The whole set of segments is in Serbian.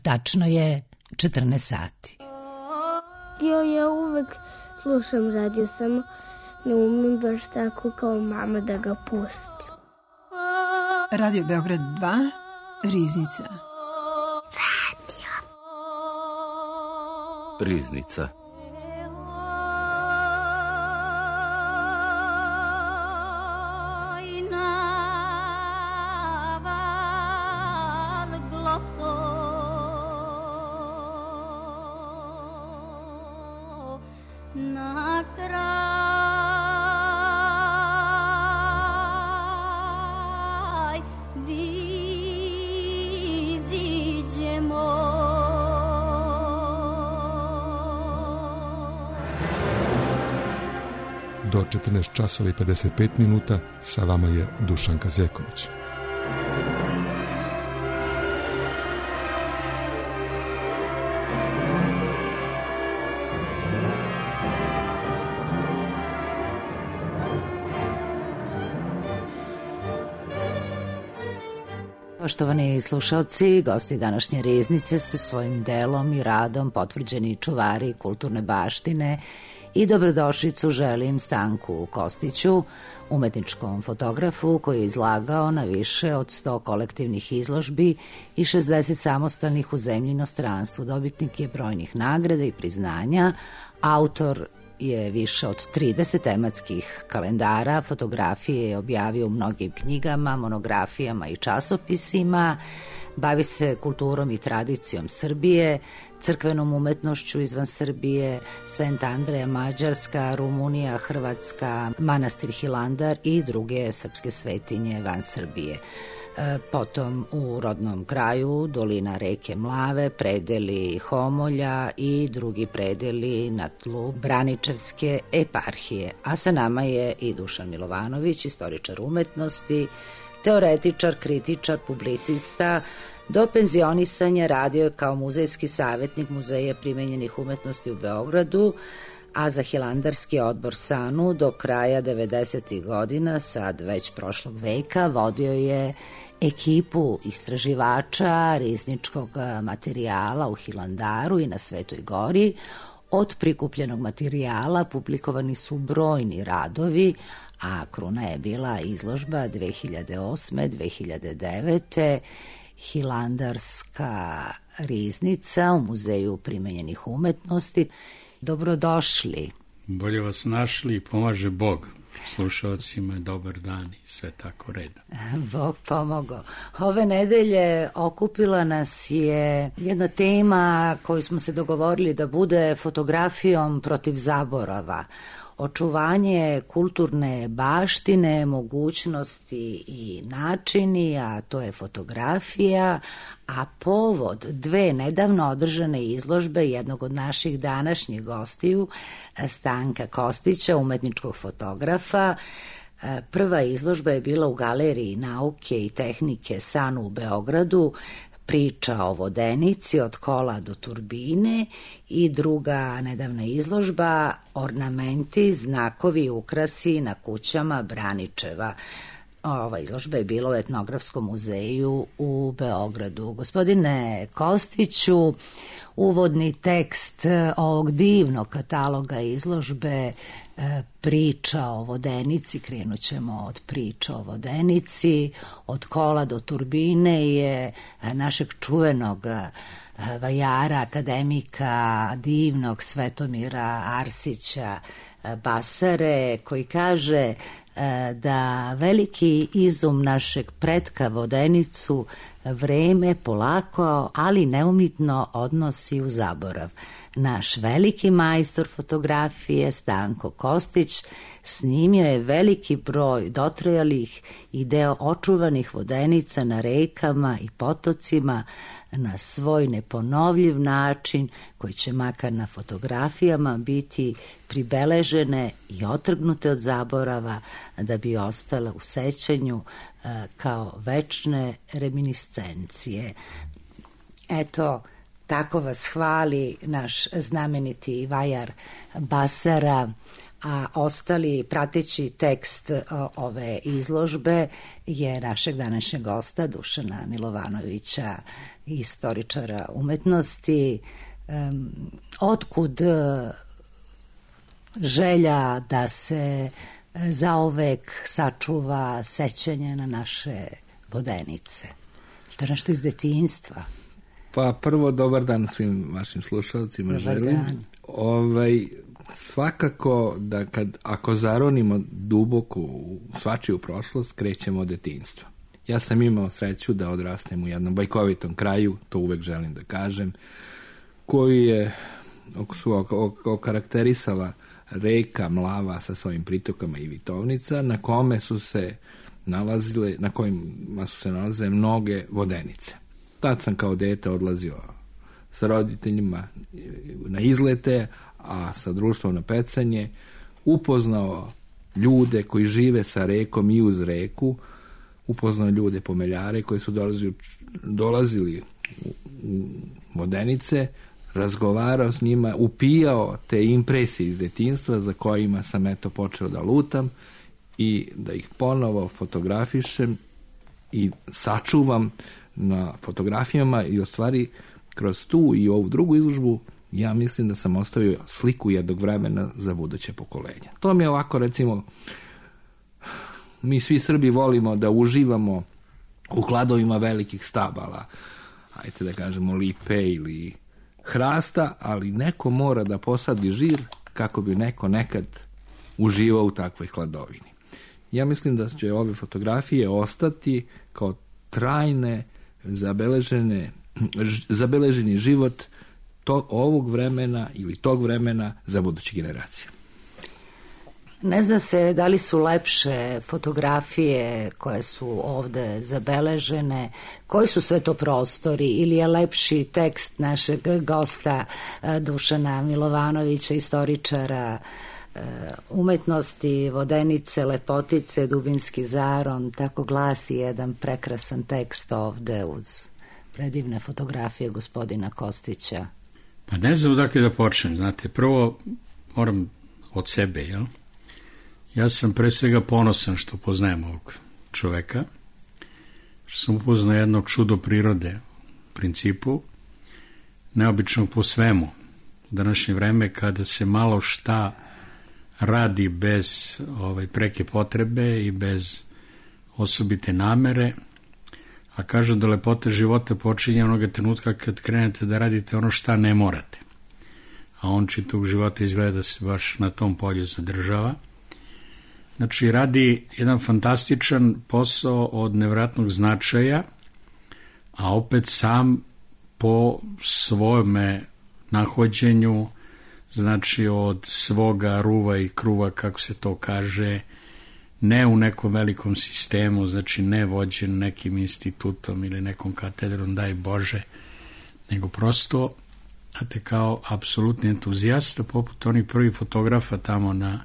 Tačno je 14 sati. Ja uvek slušam radio, samo ne umem baš tako kao mama da ga pustim. Radio Beograd 2, Riznica. Riznica. Do 14 časova i 55 minuta sa vama je Dušanka Zeković. Poštovani slušalci, gosti današnje Riznice su svojim delom i radom potvrđeni čuvari kulturne baštine i dobrodošlicu želim Stanku Kostiću, umetničkom fotografu koji je izlagao na više od 100 kolektivnih izložbi i 60 samostalnih u zemlji i inostranstvu. Dobitnik je brojnih nagrada i priznanja, autor je više od 30 tematskih kalendara, fotografije je objavio u mnogim knjigama, monografijama i časopisima, bavi se kulturom i tradicijom Srbije, crkvenom umetnošću izvan Srbije, Sent Andreja, Mađarska, Rumunija, Hrvatska, manastir Hilandar i druge srpske svetinje van Srbije. Potom u rodnom kraju dolina reke Mlave, predeli Homolja i drugi predeli na tlu Braničevske eparhije. A sa nama je i Dušan Milovanović, istoričar umetnosti, teoretičar, kritičar, publicista. Do penzionisanja radio je kao muzejski savjetnik Muzeja primenjenih umetnosti u Beogradu, a za Hilandarski odbor SANU do kraja 90. godina, sad već prošlog veka, vodio je ekipu istraživača rizničkog materijala u Hilandaru i na Svetoj Gori. Od prikupljenog materijala publikovani su brojni radovi, a kruna je bila izložba 2008. 2009. Hilandarska riznica u Muzeju primenjenih umetnosti. Dobrodošli. Bolje vas našli i pomaže Bog. Slušalcima dobar dan i sve tako reda. Bog pomogao. Ove nedelje okupila nas je jedna tema koju smo se dogovorili da bude fotografijom protiv zaborava. Očuvanje kulturne baštine, mogućnosti i načini, a to je fotografija, a povod dve nedavno održane izložbe jednog od naših današnjih gostiju, Stanka Kostića, umetničkog fotografa. Prva izložba je bila u Galeriji nauke i tehnike SANU u Beogradu, priča o vodenici od kola do turbine, i druga nedavna izložba ornamenti, znakovi i ukrasi na kućama Braničeva. Ova izložba je bila u Etnografskom muzeju u Beogradu. Gospodine Kostiću, uvodni tekst ovog divnog kataloga izložbe priča o vodenici, krenut ćemo od priča o vodenici, od kola do turbine, je našeg čuvenog vajara, akademika, divnog Svetomira Arsića Basare, koji kaže da veliki izum našeg pretka vodenicu vreme polako, ali neumitno odnosi u zaborav. Naš veliki majstor fotografije Stanko Kostić snimio je veliki broj dotrajalih i deo očuvanih vodenica na rekama i potocima na svoj neponovljiv način, koji će makar na fotografijama biti pribeležene i otrgnute od zaborava, da bi ostale u sećanju kao večne reminiscencije. Eto, tako vas hvali naš znameniti vajar Basara, a ostali prateći tekst ove izložbe je našeg današnjeg gosta Dušana Milovanovića, istoričara umetnosti. Otkud želja da se zauvek sačuva sećanje na naše vodenice? To je nešto iz detinjstva. Pa prvo, dobar dan svim vašim slušalcima želim. Svakako da ako zaronimo duboko u svačiju prošlost, krećemo od detinjstva. Ja sam imao sreću da odrastem u jednom bajkovitom kraju, to uvek želim da kažem, koji je okarakterisala reka Mlava sa svojim pritokama i Vitovnica, na kojima su se nalaze mnoge vodenice. Tad sam kao dete odlazio sa roditeljima na izlete, a sa društvom na pecanje, upoznao ljude koji žive sa rekom i uz reku, upoznao ljude pomeljare koji su dolazili u vodenice, razgovarao s njima, upijao te impresije iz detinjstva za kojima sam počeo da lutam i da ih ponovo fotografišem i sačuvam na fotografijama i u stvari kroz tu i ovu drugu izložbu ja mislim da sam ostavio sliku jednog vremena za buduće pokolenja. To mi je ovako, recimo, mi svi Srbi volimo da uživamo u hladovima velikih stabala, ajte da kažemo lipe ili hrasta, ali neko mora da posadi žir kako bi neko nekad uživao u takvoj hladovini. Ja mislim da će ove fotografije ostati kao trajne, zabeleženi život ovog vremena ili tog vremena za buduće generacije. Ne zna se da li su lepše fotografije koje su ovde zabeležene, koji su sve to prostori, ili je lepši tekst našeg gosta Dušana Milovanovića, istoričara umetnosti, vodenice, lepotice, dubinski zaron, tako glasi jedan prekrasan tekst ovde uz predivne fotografije gospodina Kostića. Pa ne znam odakle da počnem, znate, prvo moram od sebe, jel? Ja sam pre svega ponosan što poznajem ovog čoveka, što sam upoznao jednog čudo prirode u principu, neobičnog po svemu. U današnje vreme kada se malo šta radi bez preke potrebe i bez osobite namere, a kažu da lepota života počinje onoga trenutka kad krenete da radite ono šta ne morate. A on čitavog života izgleda da se baš na tom polju zadržava. Znači, radi jedan fantastičan posao od nevratnog značaja, a opet sam po svome nahođenju, znači od svoga ruva i kruva, kako se to kaže, ne u nekom velikom sistemu, znači ne vođen nekim institutom ili nekom katedrom, daj Bože, nego prosto, znate, kao apsolutni entuzijasta, poput onih prvih fotografa tamo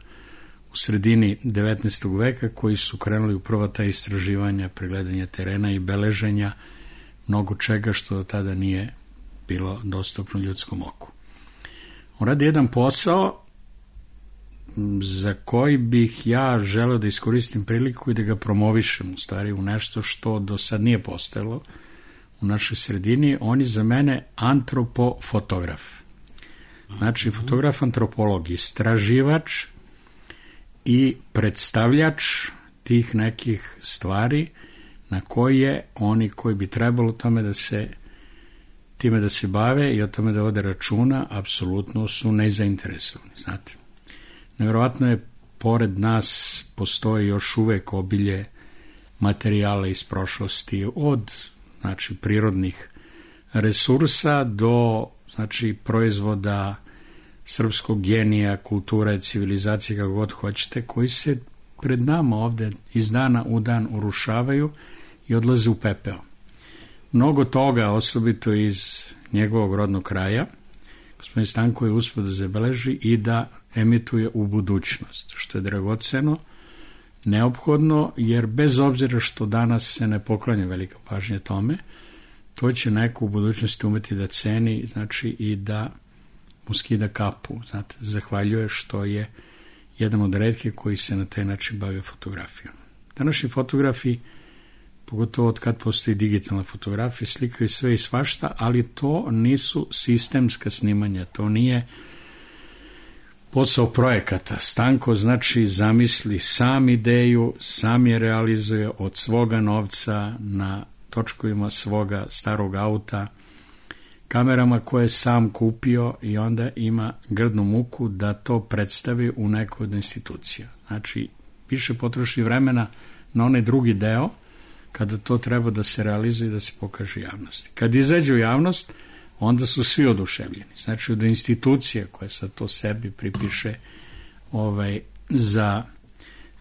u sredini 19. veka koji su krenuli u prva ta istraživanja, pregledanja terena i beleženja mnogo čega što do tada nije bilo dostupno ljudskom oku. On radi jedan posao za koji bih ja želeo da iskoristim priliku i da ga promovišem, u stvari u nešto što do sad nije postojalo u našoj sredini. On je za mene antropofotograf. Znači, fotograf antropolog, istraživač i predstavljač tih nekih stvari na koje oni koji bi trebalo time da se bave i o tome da vode računa, apsolutno su nezainteresovani, znate. Nevjerovatno je, pored nas postoji još uvek obilje materijala iz prošlosti, od znači prirodnih resursa do znači proizvoda srpskog genija, kulture, civilizacije, kako god hoćete, koji se pred nama ovde iz dana u dan urušavaju i odlaze u pepeo. Mnogo toga, osobito iz njegovog rodnog kraja, gospodin Stanko je uspio da zabeleži i da emituje u budućnost, što je dragoceno, neophodno, jer bez obzira što danas se ne poklanja velika pažnja tome, to će neko u budućnosti umeti da ceni, znači i da mu skida kapu, znate, zahvaljuje što je jedan od retkih koji se na taj način bavio fotografijom. Današnji fotografi, pogotovo od kad postoji digitalna fotografija, slikaju sve i svašta, ali to nisu sistemska snimanja, to nije posao projekata. Stanko znači zamisli sam ideju, sam je realizuje od svoga novca na točkovima svoga starog auta, kamerama koje je sam kupio i onda ima grdnu muku da to predstavi u nekoj od institucija. Znači, više potroši vremena na onaj drugi deo, kada to treba da se realizuje i da se pokaže javnosti. Kad izađe u javnost, onda su svi oduševljeni. Znači, od institucije koja sad to sebi pripiše za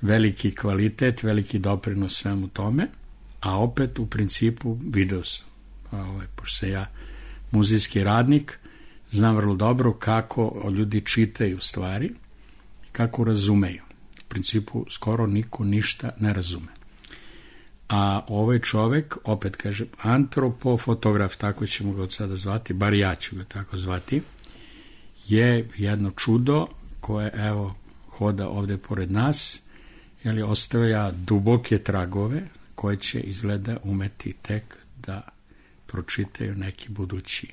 veliki kvalitet, veliki doprinos svemu tome, a opet u principu video sam. Pošto se ja muzejski radnik, znam vrlo dobro kako ljudi čitaju stvari i kako razumeju. U principu skoro niko ništa ne razume. A ovaj čovek, opet kažem, antropofotograf, tako ćemo ga od sada zvati, bar ja ću ga tako zvati, je jedno čudo koje, evo, hoda ovde pored nas, jer ostavlja duboke tragove koje će izgleda umeti tek da pročitaju neki budući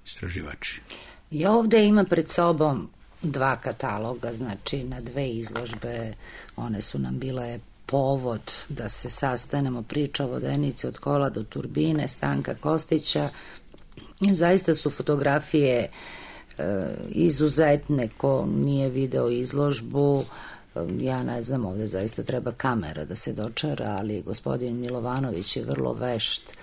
istraživači. Ja ovde imam pred sobom 2 kataloga, znači na 2 izložbe, one su nam bile povod da se sastanemo, priča o Vodenici od kola do turbine, Stanka Kostića. Zaista su fotografije izuzetne, ko nije video izložbu, ja ne znam, ovde zaista treba kamera da se dočara, ali gospodin Milovanović je vrlo vešt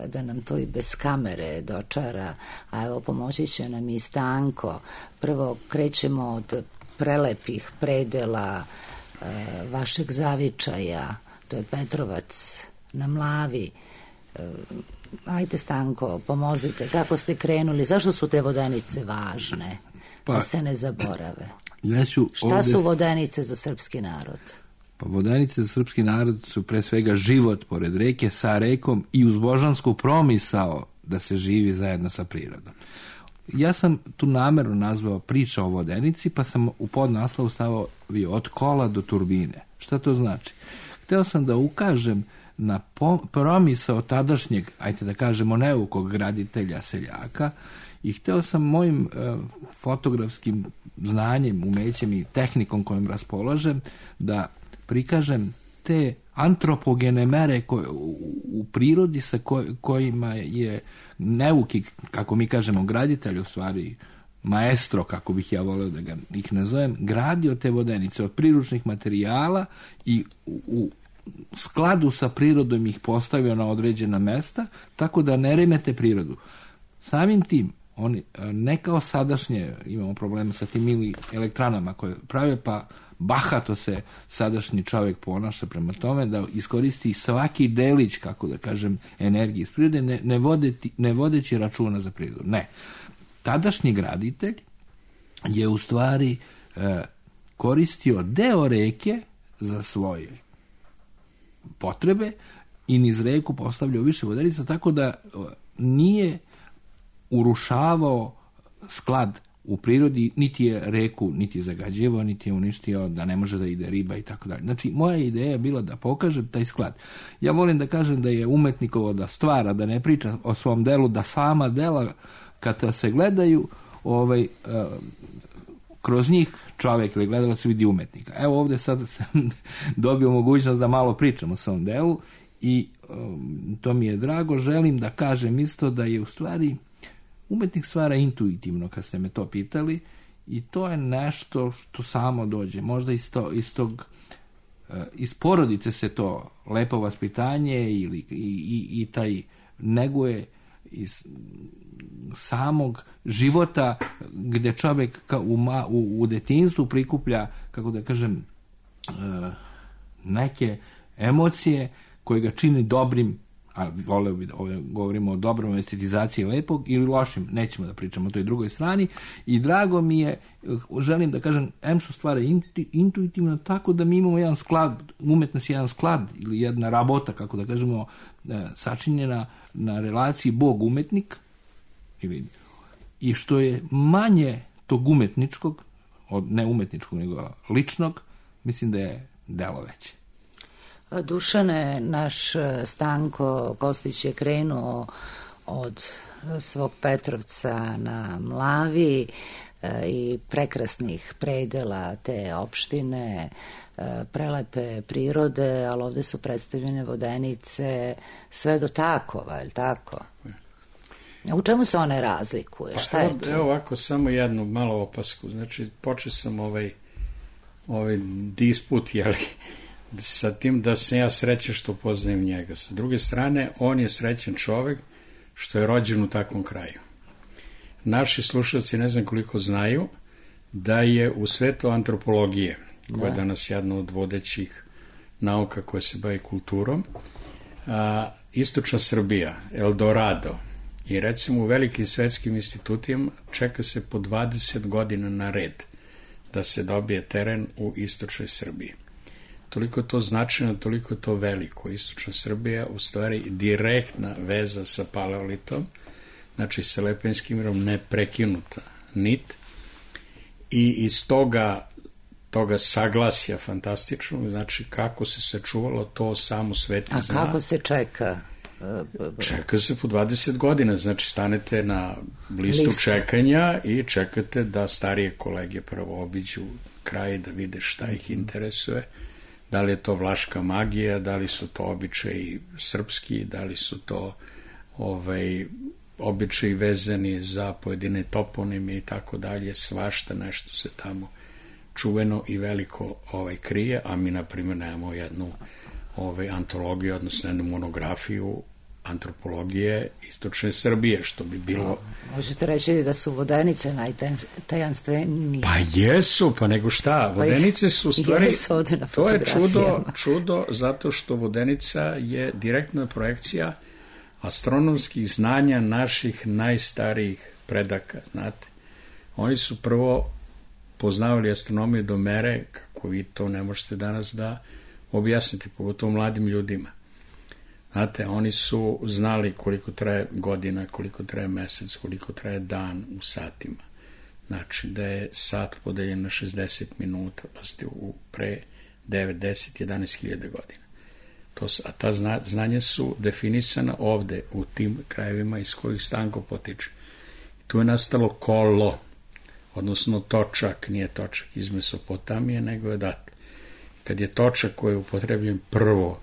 da nam to i bez kamere dočara, a evo pomoći će nam i Stanko. Prvo krećemo od prelepih predela vašeg zavičaja, to je Petrovac na Mlavi. Ajde, Stanko, pomozite, kako ste krenuli, zašto su te Vodenice važne, da se ne zaborave? Šta su Vodenice za srpski narod? Pa Vodenice za srpski narod su pre svega život pored reke, sa rekom i uz božansku promisao da se živi zajedno sa prirodom. Ja sam tu namerno nazvao priča o Vodenici, pa sam u podnaslov stavio od kola do turbine. Šta to znači? Hteo sam da ukažem na promisao tadašnjeg, ajde da kažemo, neukog graditelja seljaka, i hteo sam mojim fotografskim znanjem, umećem i tehnikom kojom raspolažem da prikažem te antropogene mere u prirodi sa kojima je neuki, kako mi kažemo, graditelj, u stvari maestro, kako bih ja voleo da ih nazovem, gradio te Vodenice od priručnih materijala i u skladu sa prirodom ih postavio na određena mesta, tako da ne remete prirodu. Samim tim, oni ne kao sadašnje, imamo problema sa tim mili elektranama koje prave, pa bahato se sadašnji čovjek ponaša prema tome da iskoristi svaki delić, kako da kažem, energije iz prirode, ne vodeći računa za prirodu. Ne. Tadašnji graditelj je u stvari koristio deo reke za svoje potrebe i niz reku postavljao više vodenica, tako da nije urušavao sklad u prirodi, niti je reku niti zagađivao, niti je uništio da ne može da ide riba i tako dalje. Znači, moja ideja je bila da pokažem taj sklad. Ja volim da kažem da je umetnikovo da stvara, da ne priča o svom delu, da sama dela kada se gledaju, kroz njih čovjek ili gledalac vidi umetnika. Evo ovde sad sam dobio mogućnost da malo pričam o svom delu i to mi je drago. Želim da kažem isto da je u stvari umetnik stvara intuitivno, kad ste me to pitali, i to je nešto što samo dođe. Možda iz porodice se to lepo vaspitanje i taj neguje iz samog života gde čovjek u detinjstvu prikuplja, kako da kažem, neke emocije koje ga čini dobrim, a voleo bi da govorimo o dobrom estetizaciji lepog ili lošim, nećemo da pričamo o toj drugoj strani, i drago mi je, želim da kažem, što stvara intuitivno, tako da mi imamo jedan sklad, umetnost je jedan sklad ili jedna rabota, kako da kažemo, sačinjena na relaciji Bog-umetnik, i što je manje tog umetničkog, ne umetničkog, nego ličnog, mislim da je delo veće. Dušane, naš Stanko Kostić je krenuo od svog Petrovca na Mlavi i prekrasnih predela te opštine, prelepe prirode, ali ovde su predstavljene Vodenice sve do Takova, je li tako? U čemu se one razlikuje? Šta je to? Evo ovako, samo jednu malo opasku. Znači, počeo sam ovaj disput, jeli, sa tim da sam ja srećan što poznajem njega. Sa druge strane, on je srećan čovek što je rođen u takvom kraju. Naši slušalci ne znam koliko znaju da je u svetu antropologije, koja je danas jedna od vodećih nauka koja se bavi kulturom, istočna Srbija, Eldorado, i recimo u velikim svetskim institutima čeka se po 20 godina na red da se dobije teren u istočnoj Srbiji. Toliko je to značajno, toliko je to veliko. Istočna Srbija u stvari direktna veza sa paleolitom, znači sa Lepenskim mirom neprekinuta nit, i iz toga saglasja fantastičnog, znači kako se sačuvalo to samo svet zna. A kako se čeka? Čeka se po 20 godina, znači stanete na listu čekanja i čekate da starije kolege prvo obiđu kraj, da vide šta ih interesuje, da li je to vlaška magija, da li su to običaji srpski, da li su to običaji vezani za pojedine toponime i tako dalje, svašta nešto se tamo čuveno i veliko krije, a mi na primjer nemamo jednu antologiju, odnosno jednu monografiju antropologije istočne Srbije, što bi bilo... Možete reći da su Vodenice najtajanstvenije? Pa jesu, pa nego šta, Vodenice su u stvari... To je čudo, zato što Vodenica je direktna projekcija astronomskih znanja naših najstarijih predaka, znate. Oni su prvo poznavali astronomiju do mere, kako vi to ne možete danas da objasniti, pogotovo mladim ljudima. Znate, oni su znali koliko traje godina, koliko traje mesec, koliko traje dan u satima. Znači, da je sat podeljen na 60 minuta, pa ste pre 9, 10, 11 hiljada godina. A ta znanja su definisana ovde, u tim krajevima iz kojih Stanko potiče. Tu je nastalo kolo, odnosno točak, nije točak iz Mesopotamije, nego je odatle. Kad je točak koji je upotrebljen prvo,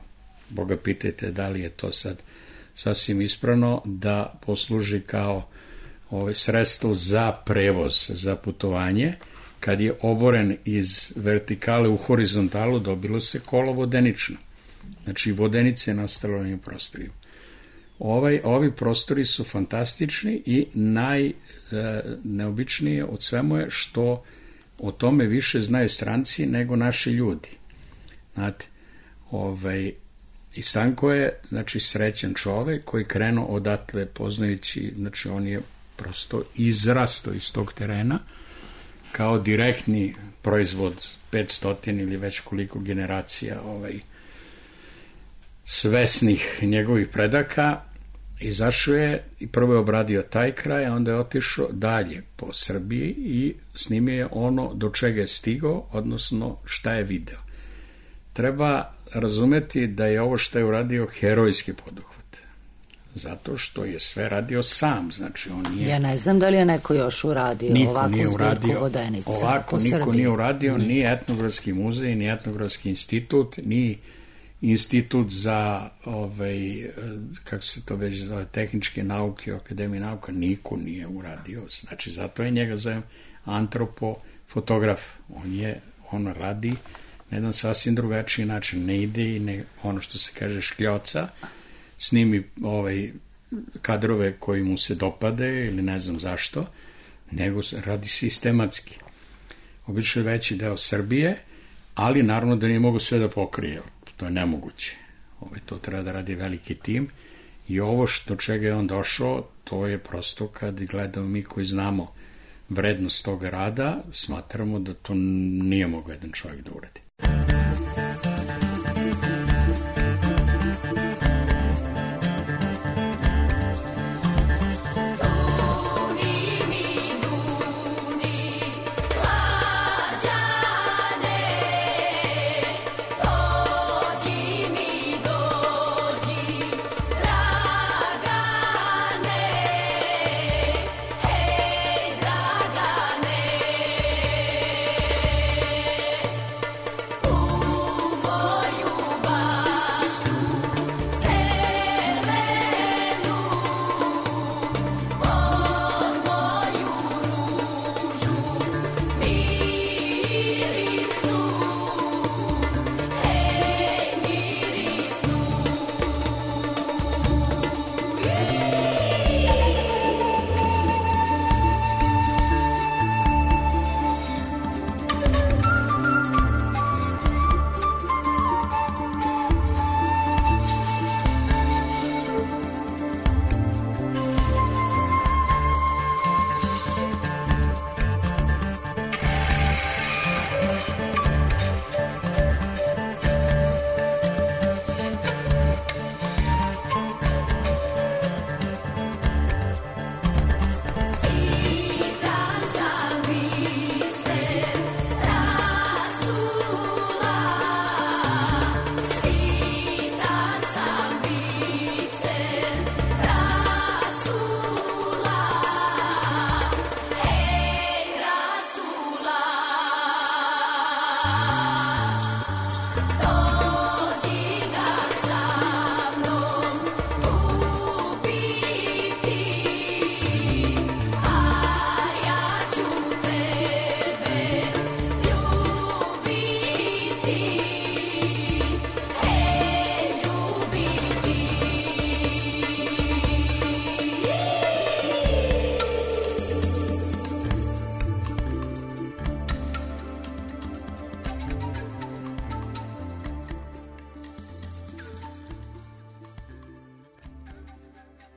Boga pitajte da li je to sad sasvim ispravno, da posluži kao sredstvo za prevoz, za putovanje, kad je oboren iz vertikale u horizontalu, dobilo se kolo vodenično. Znači, Vodenice je nastalo na ovim prostorima. Ovi prostori su fantastični i najneobičnije od svemu je što o tome više znaju stranci nego naši ljudi. Znate, i Stanko je, znači, srećan čovek koji krenuo odatle poznajući, znači, on je prosto izrasto iz tog terena kao direktni proizvod 500 ili već koliko generacija svesnih njegovih predaka. Izašao je i prvo je obradio taj kraj, a onda je otišao dalje po Srbiji i snimio je ono do čega je stigao, odnosno šta je video. Treba razumeti da je ovo što je uradio herojski poduhvat, zato što je sve radio sam, znači on nije... Ja ne znam da li je neko još uradio ovakvu zbirku Vodenica. Ovako niko nije uradio, ni Etnografski muzej, ni Etnografski institut, ni institut za kako se to već zove, tehničke nauke, akademije nauka, niko nije uradio. Znači, zato je njega zovem antropofotograf. On radi na jedan sasvim drugačiji način, ne ide i ne, ono što se kaže škljoca, snimi kadrove koji mu se dopade ili ne znam zašto, nego radi sistematski. Obično je veći deo Srbije, ali naravno da nije mogu sve da pokrije. To je nemoguće. To treba da radi veliki tim i ovo do čega je on došao, to je prosto kad gledamo mi koji znamo vrednost toga rada, smatramo da to nije mogao jedan čovjek da uradi.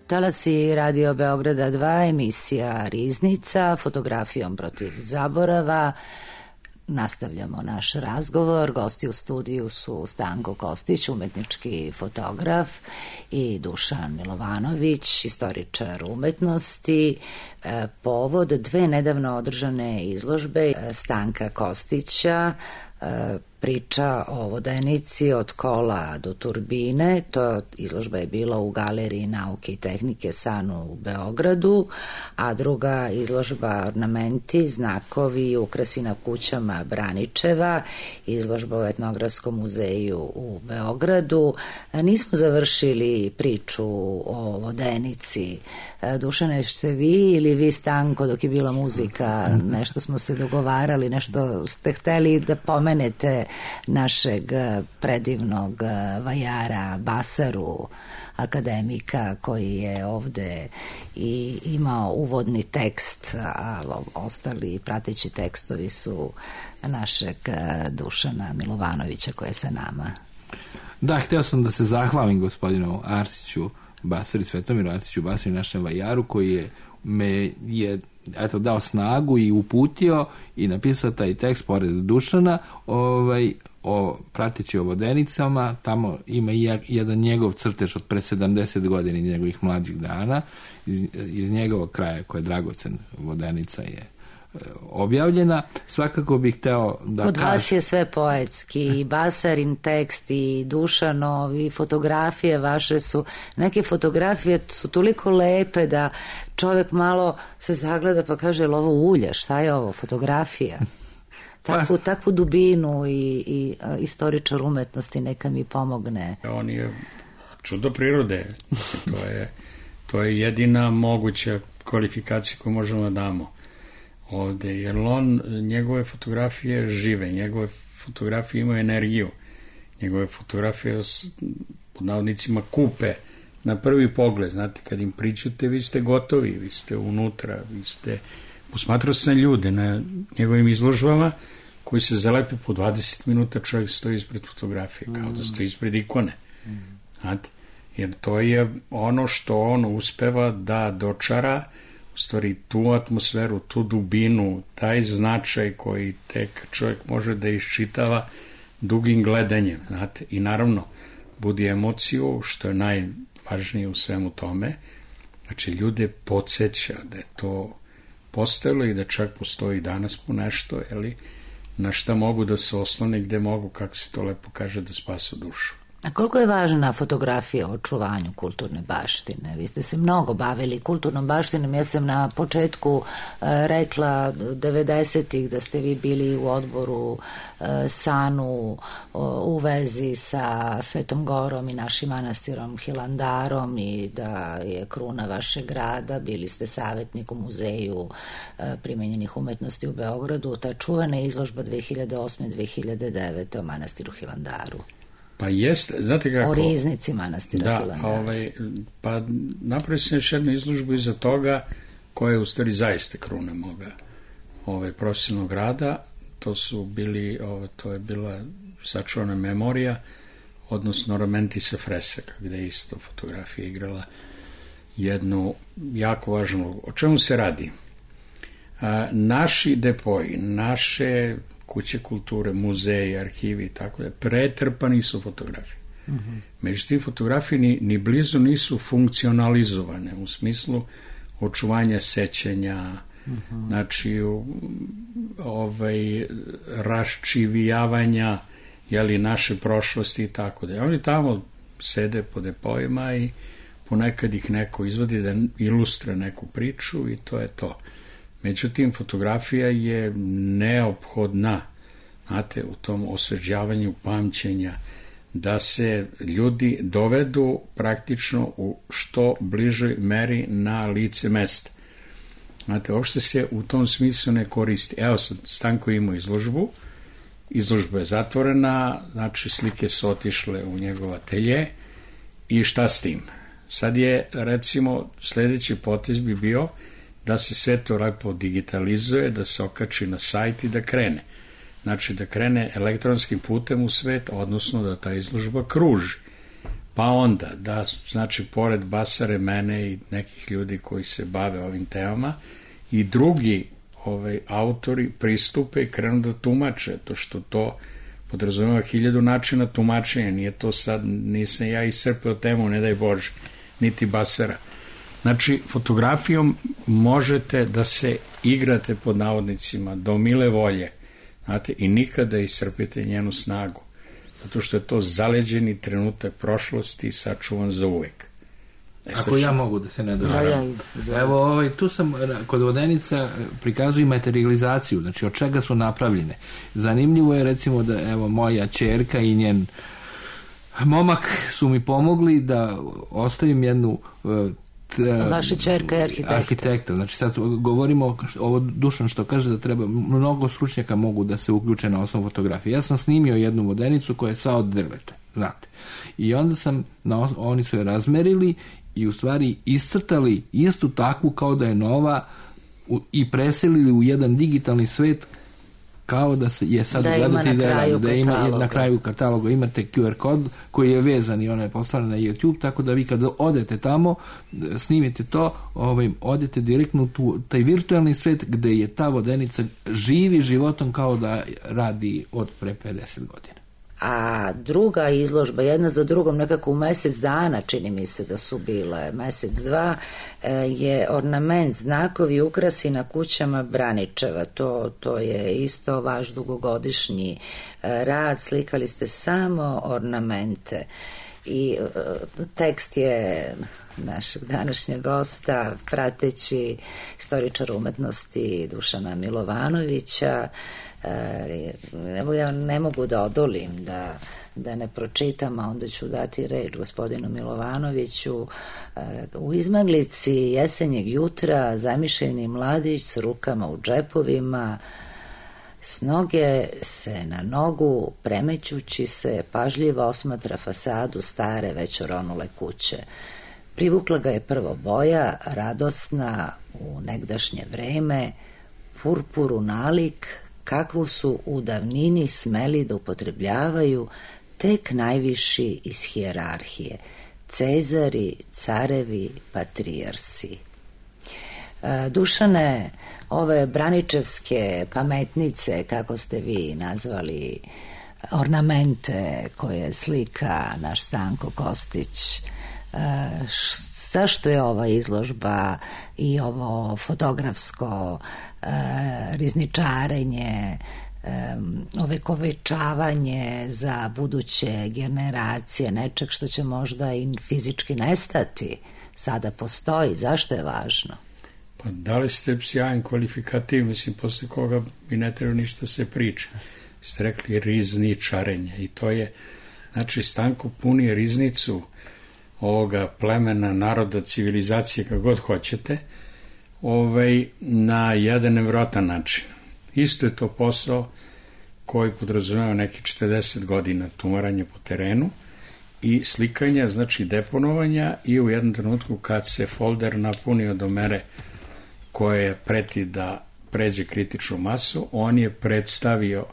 Talasi Radio Beograda 2, emisija Riznica, fotografijom protiv zaborava. Nastavljamo naš razgovor. Gosti u studiju su Stanko Kostić, umetnički fotograf, i Dušan Milovanović, istoričar umetnosti. Povod dve nedavno održane izložbe Stanka Kostića, priča o vodenici od kola do turbine. To izložba je bila u Galeriji nauke i tehnike SANU u Beogradu, a druga izložba ornamenti, znakovi i ukrasi na kućama Braničeva, izložba u Etnografskom muzeju u Beogradu. Nismo završili priču o vodenici. Dušane, ste vi ili vi, Stanko, dok je bila muzika, nešto smo se dogovarali, nešto ste hteli da pomenete našeg predivnog vajara Basaru, akademika, koji je ovde i imao uvodni tekst, a ostali prateći tekstovi su našeg Dušana Milovanovića, koji je sa nama. Da, hteo sam da se zahvalim gospodinu Arsiću Basari, Svetomiru Arsiću Basari, našem vajaru, koji me je dao snagu i uputio i napisao taj tekst pored Dušana, o prateći o vodenicama. Tamo ima jedan njegov crtež od pre 70 godina, njegovih mlađih dana, iz njegovog kraja, koji je dragocen vodenica, je objavljena. Svakako bih hteo da Kod vas je sve poetski, i Basarin tekst i Dušanov, i fotografije vaše su, neke fotografije su toliko lepe da čovjek malo se zagleda pa kaže, je li ovo ulje, šta je ovo, fotografija? Takvu dubinu i istoričar umetnosti neka mi pomogne. On je čudo prirode. To je jedina moguća kvalifikacija koju možemo da damo ovde, jer njegove fotografije žive, njegove fotografije imaju energiju, njegove fotografije pod navodnicima kupe na prvi pogled. Znate, kad im pričate, vi ste gotovi, vi ste unutra, vi ste... Posmatrao sam ljude na njegovim izložbama koji se zalepe po 20 minuta, čovjek stoji ispred fotografije, kao da stoji ispred ikone. Znate, jer to je ono što on uspeva da dočara, u stvari tu atmosferu, tu dubinu, taj značaj koji tek čovjek može da iščitava dugim gledanjem. Znate, i naravno budi emociju, što je najvažnije u svemu tome. Znači, ljude podsjeća da je to postojalo i da čak postoji danas po nešto, na šta mogu da se oslone, gde mogu, kako se to lepo kaže, da spasu dušu. A koliko je važna fotografija o očuvanju kulturne baštine? Vi ste se mnogo bavili kulturnom baštinom. Ja sam na početku rekla 90-ih da ste vi bili u odboru SANU u vezi sa Svetom Gorom i našim manastirom Hilandarom i da je kruna vašeg grada. Bili ste savjetnik u muzeju primenjenih umetnosti u Beogradu. Ta čuvana izložba 2008-2009 o manastiru Hilandaru. Pa jeste, znate kako... O riznici manastira Hilandara. Pa napravio sam još jednu izložbu iza toga, koja je u stvari zaista kruna moga profesionalnog rada. To je bila sačuvana memorija, odnosno ornamenti sa fresaka, gde je isto fotografija igrala jednu jako važnu... O čemu se radi? Naši depoji, naše kuće kulture, muzeji, arhivi i tako da, pretrpani su fotografije. Međutim, fotografije ni blizu nisu funkcionalizovane u smislu očuvanja sećanja, znači raščivijavanja naše prošlosti i tako da. Oni tamo sede po depojima i ponekad ih neko izvodi da ilustra neku priču i to je to. Međutim, fotografija je neophodna, znate, u tom osvežavanju pamćenja, da se ljudi dovedu praktično u što bližoj meri na lice mesta. Znate, uopšte se u tom smislu ne koristi. Evo sad, Stanko imao izložbu, izložba je zatvorena, znači slike su otišle u njegov atelje i šta s tim? Sad je, recimo, sledeći potez bi bio da se sve to lepo digitalizuje, da se okači na sajt i da krene. Znači da krene elektronskim putem u svet, odnosno da ta izložba kruži. Pa onda, da, znači, pored Basare, mene i nekih ljudi koji se bave ovim temama, i drugi autori pristupe i krenu da tumače, to što to podrazumeva 1000 načina tumačenja, nije to sad, nisam ja iscrpeo temu, ne daj Bože, niti Basara. Znači, fotografijom možete da se igrate pod navodnicima do mile volje, znate, i nikada iscrpite njenu snagu, zato što je to zaleđeni trenutak prošlosti sačuvan za uvek. Ako ja mogu da se ne dođem. Evo, tu sam kod vodenica prikazuju materializaciju, znači od čega su napravljene. Zanimljivo je recimo da evo moja ćerka i njen momak su mi pomogli da ostavim jednu vaša ćerka je arhitekta. Znači sad govorimo ovo Dušan što kaže da treba, mnogo stručnjaka mogu da se uključe na osnovu fotografije. Ja sam snimio jednu vodenicu koja je sva od drveta, znate. I onda sam, oni su je razmerili i u stvari iscrtali istu takvu kao da je nova i preselili u jedan digitalni svet kao da se je sad gledati da ima na kraju kataloga imate QR kod koji je vezan i ona je postavljena na YouTube, tako da vi kada odete tamo, snimite to, odete direktno u taj virtualni svet gde je ta vodenica živi životom kao da radi od pre 50 godina. A druga izložba, jedna za drugom, nekako u mesec dana, čini mi se da su bile, mesec, dva, je ornament, znakovi, ukrasi na kućama Braničeva. To je isto vaš dugogodišnji rad, slikali ste samo ornamente. I tekst je našeg današnjeg gosta, prateći istoričara umetnosti Dušana Milovanovića. Evo ja ne mogu da odolim da ne pročitam, a onda ću dati reč gospodinu Milovanoviću. U izmaglici jesenjeg jutra zamišljeni mladić s rukama u džepovima, s noge se na nogu premećući se pažljivo osmatra fasadu stare već oronule kuće. Privukla ga je prvo boja, radosna u negdašnje vreme, purpuru nalik, kakvu su u davnini smeli da upotrebljavaju tek najviši iz hijerarhije, cezari, carevi, patrijarsi. Dušane, ove braničevske pametnice, kako ste vi nazvali, ornamente koje slika naš Stanko Kostić, zašto je ova izložba i ovo fotografsko rizničarenje, ovekovečavanje za buduće generacije nečeg što će možda i fizički nestati, sada postoji, zašto je važno? Pa dali ste sjajan kvalifikativ, mislim, posle koga mi ne treba ništa se priča. Ste rekli rizničarenje i to je, znači, Stanko puni riznicu ovoga plemena, naroda, civilizacije, kako god hoćete, na jedan nevjerovatan način. Isto je to posao koji podrazumeva neki 40 godina tumaranja po terenu i slikanja, znači deponovanja, i u jednom trenutku kad se folder napunio do mere koje preti da pređe kritičnu masu, on je predstavio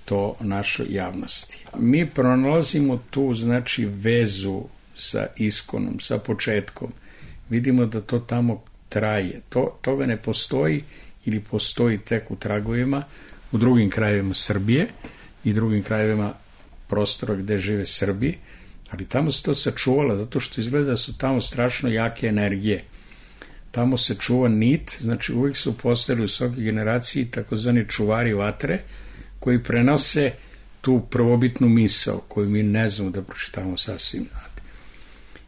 to našoj javnosti. Mi pronalazimo tu, znači, vezu sa iskonom, sa početkom. Vidimo da to tamo traje. Toga ne postoji ili postoji tek u tragovima u drugim krajevima Srbije i drugim krajevima prostora gde žive Srbi, ali tamo se to sačuvala zato što izgleda da su tamo strašno jake energije. Tamo se čuva nit, znači uvijek su postojali u svakoj generaciji takozvani čuvari vatre koji prenose tu prvobitnu misao koju mi ne znamo da pročitamo sasvim.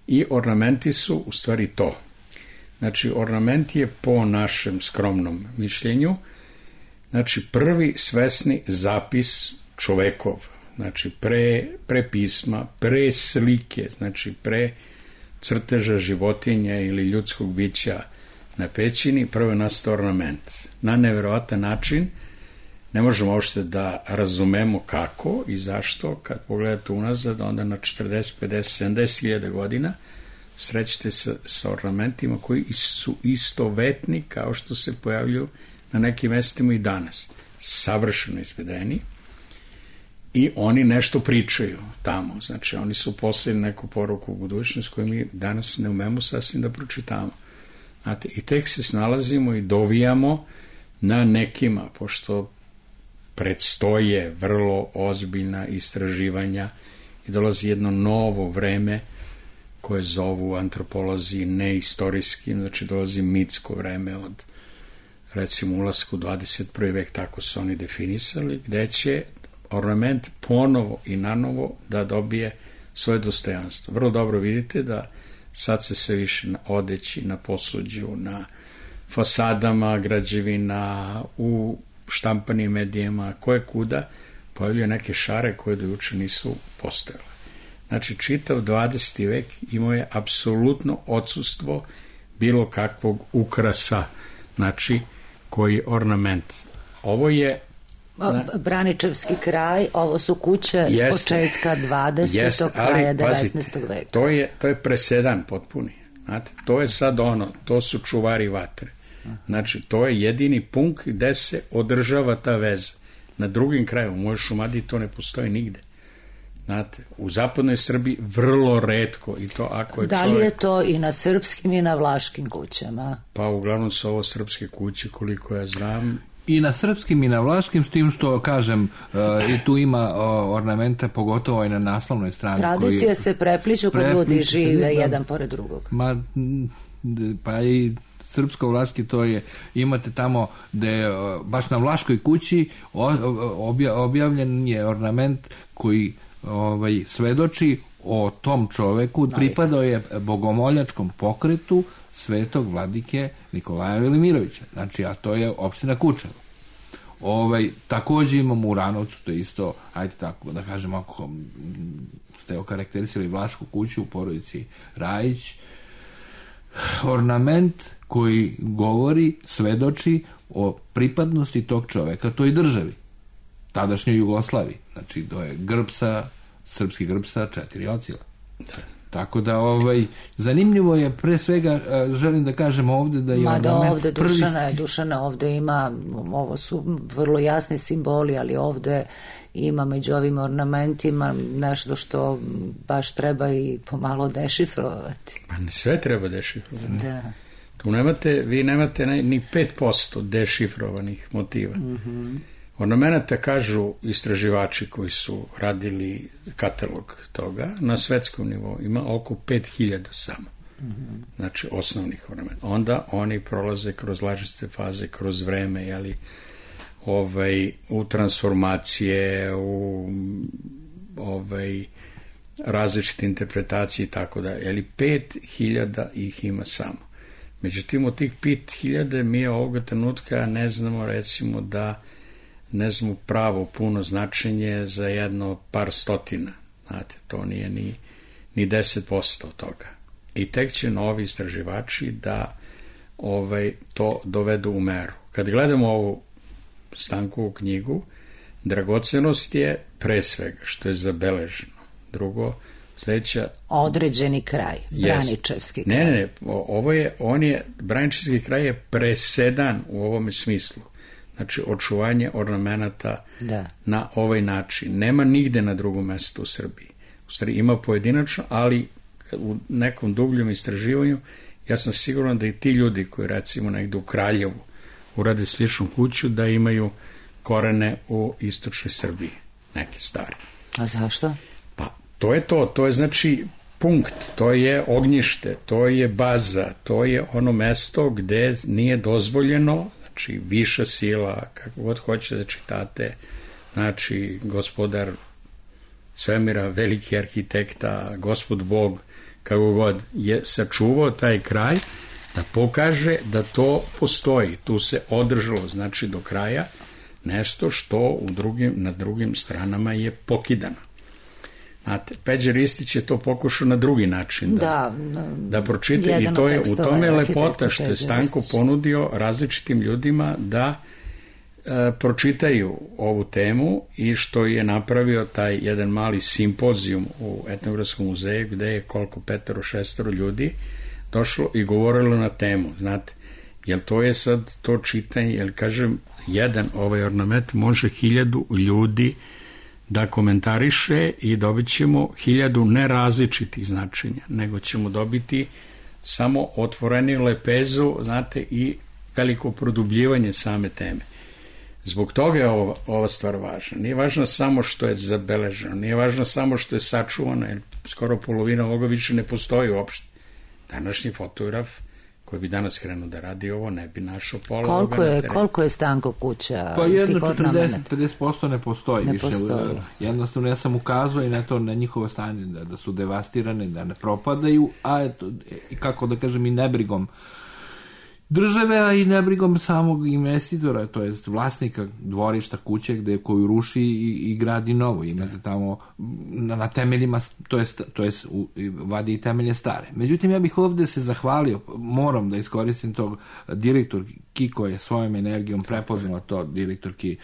I ornamenti su u stvari to. Znači, ornament je po našem skromnom mišljenju, znači, prvi svesni zapis čovekov, znači, pre pisma, pre slike, znači, pre crteža životinja ili ljudskog bića na pećini, prvo je nastao ornament. Na neverovatan način, ne možemo uopšte da razumemo kako i zašto, kad pogledate unazad, onda na 40, 50, 70 hiljada godina srećete sa ornamentima koji su istovetni kao što se pojavljuju na nekim mestima i danas. Savršeno izvedeni i oni nešto pričaju tamo. Znači, oni su poslali neku poruku u budućnost koju mi danas ne umemo sasvim da pročitamo. Znate, i tek se snalazimo i dovijamo na nekima, pošto predstoje vrlo ozbiljna istraživanja i dolazi jedno novo vreme koje zovu antropolozi neistorijskim, znači dolazi mitsko vreme od, recimo, ulasku u 21. vek, tako su oni definisali, gde će ornament ponovo i nanovo da dobije svoje dostojanstvo. Vrlo dobro vidite da sad se sve više na odeći, na posuđu, na fasadama građevina, u štampanim medijima, koje kuda pojavljaju neke šare koje do juče nisu postojale. Znači, čitav 20. vek imao je apsolutno odsustvo bilo kakvog ukrasa, znači, koji ornament. Ovo je Braničevski kraj, ovo su kuće s početka 20. kraja 19. veka. To je presedan potpuni. Znate, to je sad to su čuvari vatre. Znači, to je jedini punkt gde se održava ta veza. Na drugim kraju, u mojoj Šumadiji to ne postoji nigde. Znate, u zapadnoj Srbiji vrlo retko i to ako je da li je to i na srpskim i na vlaškim kućama? Pa uglavnom su ovo srpske kuće, koliko ja znam. I na srpskim i na vlaškim, s tim što, kažem, i tu ima ornamente, pogotovo i na naslovnoj strani. Tradicije se prepliču kad ljudi žive jedan pored drugog. Pa i srpsko-vlaški, to je, imate tamo gde baš na vlaškoj kući objavljen je ornament koji svedoči o tom čoveku, pripadao je bogomoljačkom pokretu svetog vladike Nikolaja Velimirovića. Znači, a to je opština Kučevo. Takođe imamo u Ranovcu, to je isto, ajde tako da kažem, ako ste okarakterisali vlašku kuću u porodici Rajić, ornament koji govori, svedoči o pripadnosti tog čoveka toj državi, tadašnjoj Jugoslaviji. Znači, to je srpski grb sa 4 ocila. Da. Tako da, zanimljivo je, pre svega, želim da kažem ovde da je ovde Dušana ovde ima, ovo su vrlo jasni simboli, ali ovde ima među ovim ornamentima nešto što baš treba i pomalo dešifrovati. Pa ne sve treba dešifrovati. Da. Tu vi nemate ni 5% dešifrovanih motiva. Ornamenata, kažu istraživači koji su radili katalog toga, na svetskom nivou ima oko 5000 samo. Znači, osnovnih ornamenta. Onda oni prolaze kroz različite faze, kroz vreme, u transformacije, u različite interpretacije i tako da. 5000 ih ima samo. Međutim, od tih 5000 mi ovoga trenutka ne znamo, recimo, ne znamo pravo puno značenje za jedno par stotina. Znate, to nije ni 10% od toga. I tek će novi istraživači da to dovedu u meru. Kad gledamo ovu Stankovu knjigu, dragocenost je pre svega što je zabeleženo. Drugo, sledeća... Određeni kraj, Braničevski kraj. Ne, Braničevski kraj je presedan u ovome smislu. Znači, očuvanje ornamenata na ovaj način. Nema nigde na drugom mestu u Srbiji. U stvari, ima pojedinačno, ali u nekom dubljem istraživanju, ja sam siguran da i ti ljudi koji, recimo, negde u Kraljevu urade sličnu kuću, da imaju korene u istočnoj Srbiji, neke stare. A zašto? Pa, to je znači punkt, to je ognjište, to je baza, to je ono mesto gde nije dozvoljeno, znači viša sila, kako god hoćete da čitate, znači gospodar svemira, veliki arhitekta, Gospod Bog, kako god je sačuvao taj kraj, da pokaže da to postoji. Tu se održalo, znači, do kraja nešto što na drugim stranama je pokidano. Znate, Peđa Ristić je to pokušao na drugi način da pročita i to je u tome lepota što je Stanko ponudio različitim ljudima da pročitaju ovu temu i što je napravio taj jedan mali simpozijum u Etnografskom muzeju gde je koliko 5-6 ljudi došlo i govorilo na temu, znate, jer to je sad to čitanje, jer kažem, jedan ornament može 1000 ljudi da komentariše i dobit ćemo 1000 nerazličitih značenja, nego ćemo dobiti samo otvoreniju lepezu, znate, i veliko produbljivanje same teme. Zbog toga je ova stvar važna. Nije važno samo što je zabeleženo, nije važno samo što je sačuvano, jer skoro polovina ovoga više ne postoji uopšte. Današnji fotograf koji bi danas krenuo da radi ovo, ne bi našao pola ovoga na terenu. Koliko je Stanko kuća? Pa jedno 40-50% ne postoji više. Jednostavno ja sam ukazao i na to, na njihovo stanje, da su devastirane, da ne propadaju, a eto, kako da kažem, i nebrigom države, a i nebrigom samog investitora, to jest vlasnika dvorišta kuće koju ruši i gradi novo. Imate tamo na temeljima, to jest vadi i temelje stare. Međutim, ja bih ovde se zahvalio, moram da iskoristim tog direktorki koja je svojom energijom prepoznala to, direktorki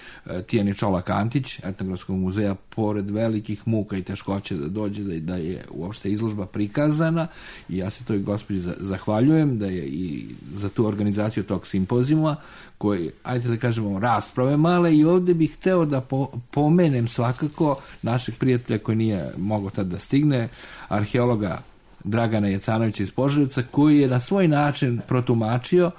Tijani Čolak-Antić, Etnografskog muzeja, pored velikih muka i teškoće da dođe, da je uopšte izložba prikazana, i ja se toj gospođi zahvaljujem da je i za tu organizaciju tog simpozijuma, koji, ajde da kažemo, rasprave male, i ovde bih hteo da pomenem svakako našeg prijatelja koji nije mogao tad da stigne, arheologa Dragana Jecanovića iz Požarevca, koji je na svoj način protumačio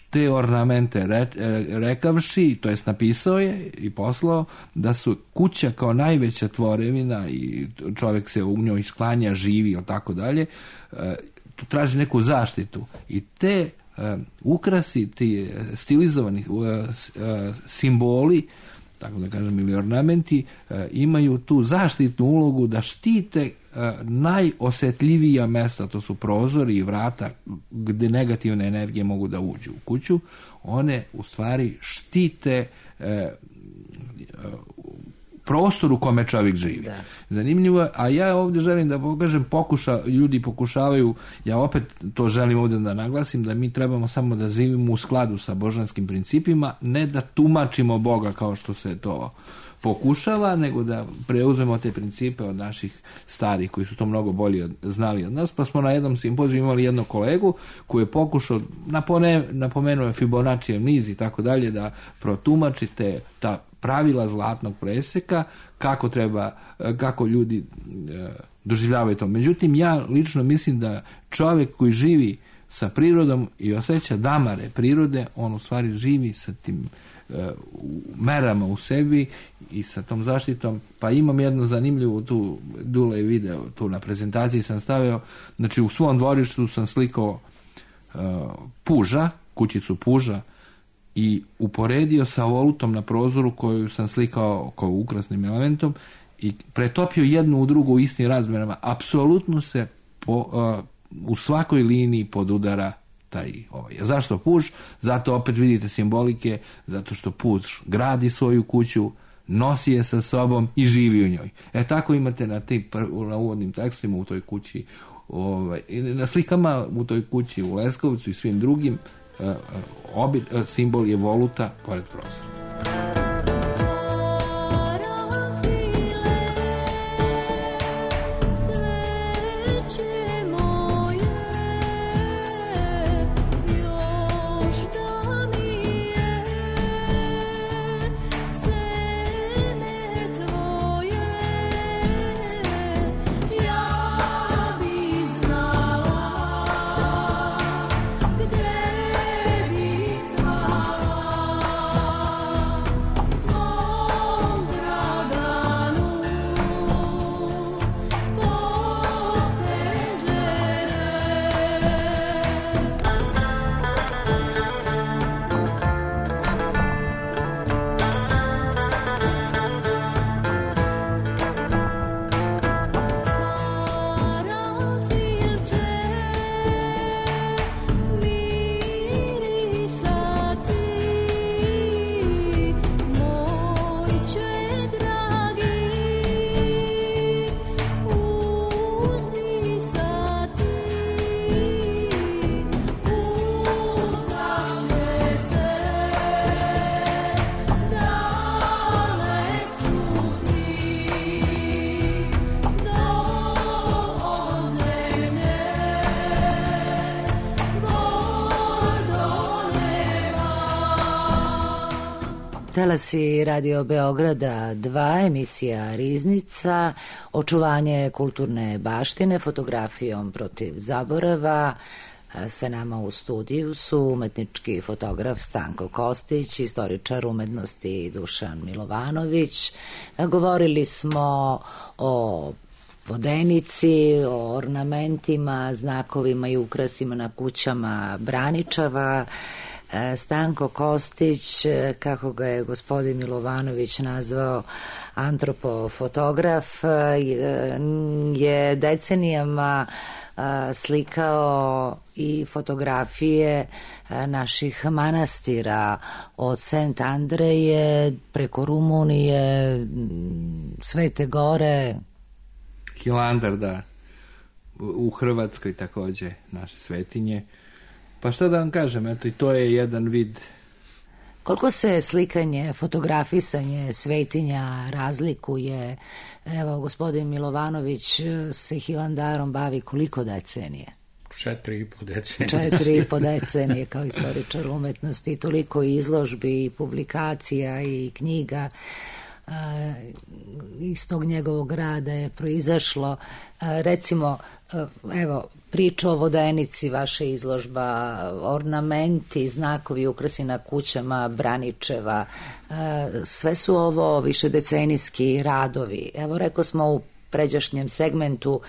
te ornamente, rekavši, to jest napisao je i poslao, da su kuća kao najveća tvorevina i čovjek se u njoj sklanja, živi ili tako dalje, traži neku zaštitu, i te ukrasi, ti stilizovani simboli, tako da kažem, ili ornamenti, imaju tu zaštitnu ulogu da štite najosetljivija mesta, to su prozori i vrata gde negativne energije mogu da uđu u kuću. One u stvari štite prostor u kome čovjek živi. Da. Zanimljivo je, a ja ovdje želim da pokažem, ljudi pokušavaju, ja opet to želim ovdje da naglasim, da mi trebamo samo da živimo u skladu sa božanskim principima, ne da tumačimo Boga kao što se to pokušava, nego da preuzmemo te principe od naših starih koji su to mnogo bolje znali od nas. Pa smo na jednom simpoziju imali jednog kolegu koji je pokušao, napomenuo je Fibonaccijev niz i tako dalje, da protumačite ta pravila zlatnog preseka, kako ljudi doživljavaju to. Međutim, ja lično mislim da čovjek koji živi sa prirodom i osjeća damare prirode, on u stvari živi sa tim merama u sebi i sa tom zaštitom. Pa imam jednu zanimljivu, tu Dule video, tu na prezentaciji sam stavio, znači u svom dvorištu sam slikao puža, kućicu puža, i uporedio sa volutom na prozoru koju sam slikao kao ukrasnim elementom i pretopio jednu u drugu u istim razmerama. Apsolutno se u svakoj liniji podudara taj ovaj. Zašto puž? Zato opet vidite simbolike, zato što puž gradi svoju kuću, nosi je sa sobom i živi u njoj. Tako imate na uvodnim tekstima u toj kući, na slikama u toj kući u Leskovcu i svim drugim, simbol je voluta pored prozora. Talasi Radio Beograda 2, emisija Riznica, očuvanje kulturne baštine fotografijom protiv zaborava. Sa nama u studiju su umetnički fotograf Stanko Kostić, istoričar umetnosti Dušan Milovanović. Govorili smo o vodenici, o ornamentima, znakovima i ukrasima na kućama Braničeva. Stanko Kostić, kako ga je gospodin Milovanović nazvao, antropofotograf, je decenijama slikao i fotografije naših manastira od Sent Andreje preko Rumunije, Svete Gore, Hilandar, da, u Hrvatskoj takođe naše svetinje. Pa šta da vam kažem, eto i to je jedan vid. Koliko se slikanje, fotografisanje svetinja razlikuje? Evo, gospodin Milovanović se Hilandarom bavi koliko decenije? 4,5 decenije. 4,5 decenije kao istoričar umetnosti, toliko izložbi i publikacija i knjiga iz tog njegovog rada je proizašlo. Recimo, evo, priča o vodenici, vaša izložba, ornamenti, znakovi, ukrasi na kućama Braničeva, sve su ovo višedecenijski radovi. Evo, rekao smo u pređašnjem segmentu,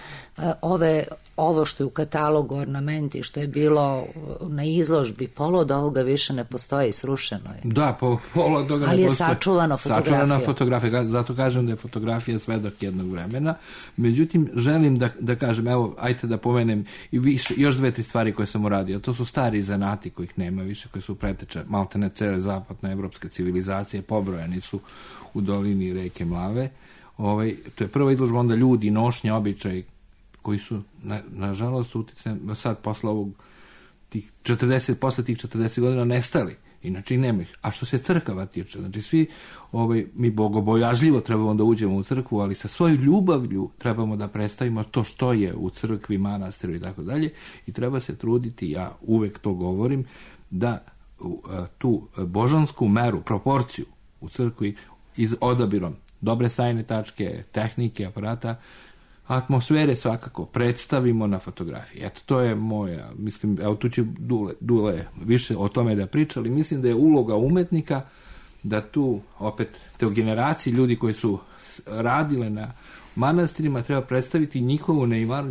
ovo što je u katalogu ornamenti, što je bilo na izložbi, pola od ovoga više ne postoji, srušeno je. Da, pola od toga ne postoji. Ali je sačuvano fotografija. Sačuvana fotografija, zato kažem da je fotografija svedok jednog vremena. Međutim, želim da kažem, evo, ajte da pomenem i više, još 2-3 stvari koje sam uradio. To su stari zanati kojih nema više, koji su preteče maltene cele zapadne evropske civilizacije, pobrojani su u dolini reke Mlave. To je prva izložba, onda ljudi, nošnje, običaj koji su, nažalost, uticajem sad posle posle tih 40 godina nestali. Inače i nema ih. A što se crkava tiče, znači svi mi bogobojažljivo trebamo da uđemo u crkvu, ali sa svojom ljubavlju trebamo da predstavimo to što je u crkvi, manastiru i tako dalje, i treba se truditi, ja uvek to govorim, da tu božansku meru, proporciju u crkvi odabirom dobre sajne tačke, tehnike, aparata, atmosfere svakako predstavimo na fotografiji. Eto, to je moja, mislim, evo tu će Dule više o tome da priča, ali mislim da je uloga umetnika da tu, opet, te generaciji ljudi koji su radile na manastirima treba predstaviti njihovu neimaru,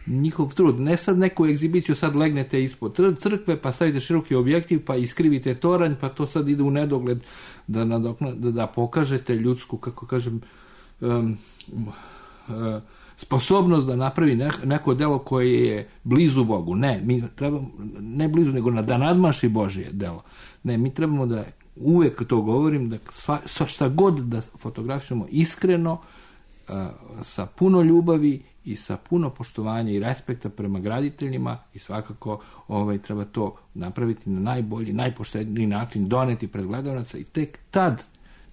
njihov trud. Ne sad neku egzibiciju, sad legnete ispod crkve, pa stavite široki objektiv, pa iskrivite toranj, pa to sad ide u nedogled da pokažete ljudsku, kako kažem, sposobnost da napravi neko delo koje je blizu Bogu. Ne blizu, nego da nadmaši Božje delo. Ne, mi trebamo da, uvek to govorim, da šta god da fotografišemo iskreno, sa puno ljubavi i sa puno poštovanja i respekta prema graditeljima, i svakako treba to napraviti na najbolji, najpošteniji način, doneti pred gledalaca, i tek tad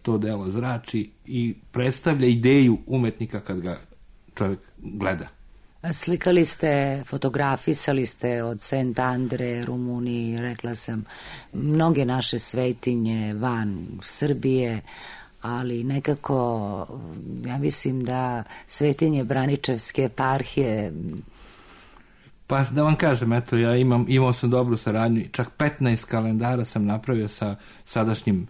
to delo zrači i predstavlja ideju umetnika kad ga čovjek gleda. Slikali ste, fotografisali ste od Sent Andre, Rumuniji, rekla sam, mnoge naše svetinje van Srbije, ali nekako, ja mislim da svetinje Braničevske eparhije. Pa da vam kažem, eto, ja imao sam dobru saradnju, čak 15 kalendara sam napravio sa sadašnjim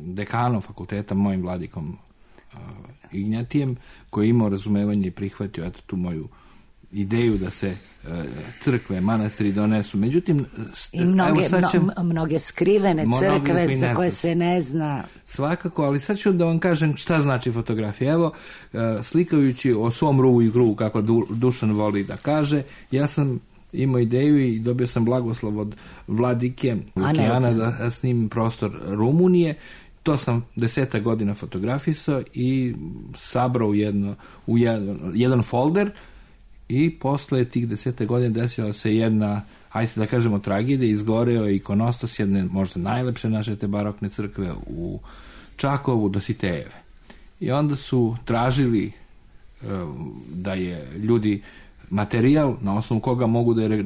dekanom fakulteta, mojim vladikom Ignjatijem, koji je imao razumevanje i prihvatio, eto, tu moju ideju da se crkve, manastiri donesu. Međutim, i mnoge skrivene crkve za koje se ne zna. Svakako, ali sad ću da vam kažem šta znači fotografija. Evo, slikajući o svom ruvu i gruvu, kako Dušan voli da kaže, ja sam imao ideju i dobio sam blagoslov od vladike Lukijana da snimim prostor Rumunije. To sam 10 godina fotografisao i sabrao u jedan folder, i posle tih 10 godina desila se jedna, ajde da kažemo, tragedija. Izgoreo je ikonostas jedne možda najlepše naše te barokne crkve u Čakovu, Dositejeve. I onda su tražili da je ljudi materijal na osnovu koga mogu da je